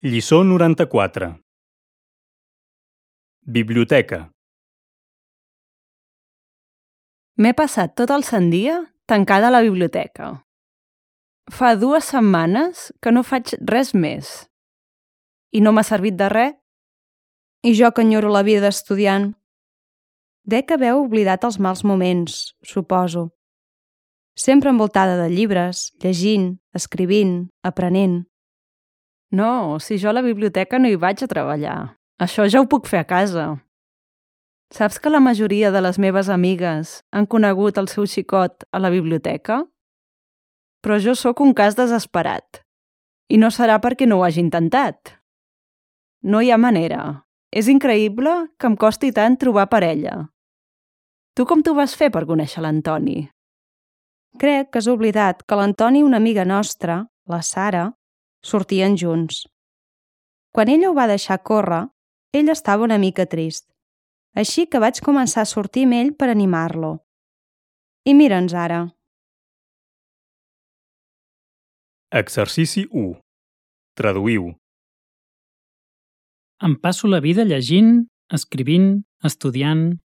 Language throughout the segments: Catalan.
Lliçó 94. Biblioteca. M'he passat tot el sant dia tancada a la biblioteca. Fa 2 setmanes que no faig res més. I no m'ha servit de res. I jo que enyoro la vida d'estudiant. Dec haver oblidat els mals moments, suposo. Sempre envoltada de llibres, llegint, escrivint, aprenent. No, si jo a la biblioteca no hi vaig a treballar. Això ja ho puc fer a casa. Saps que la majoria de les meves amigues han conegut el seu xicot a la biblioteca? Però jo sóc un cas desesperat. I no serà perquè no ho hagi intentat. No hi ha manera. És increïble que em costi tant trobar parella. Tu com t'ho vas fer per conèixer l'Antoni? Crec que has oblidat que l'Antoni i una amiga nostra, la Sara, sortien junts. Quan ella ho va deixar córrer, ell estava una mica trist. Així que vaig començar a sortir amb ell per animar-lo. I mira'ns ara. Exercici 1. Traduïu. Em passo la vida llegint, escrivint, estudiant...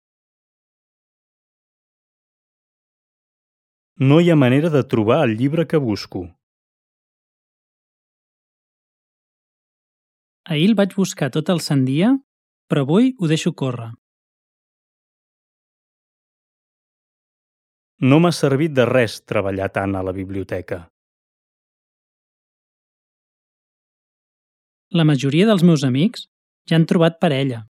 No hi ha manera de trobar el llibre que busco. Ahir el vaig buscar tot el sant dia, però avui ho deixo córrer. No m'ha servit de res treballar tant a la biblioteca. La majoria dels meus amics ja han trobat parella.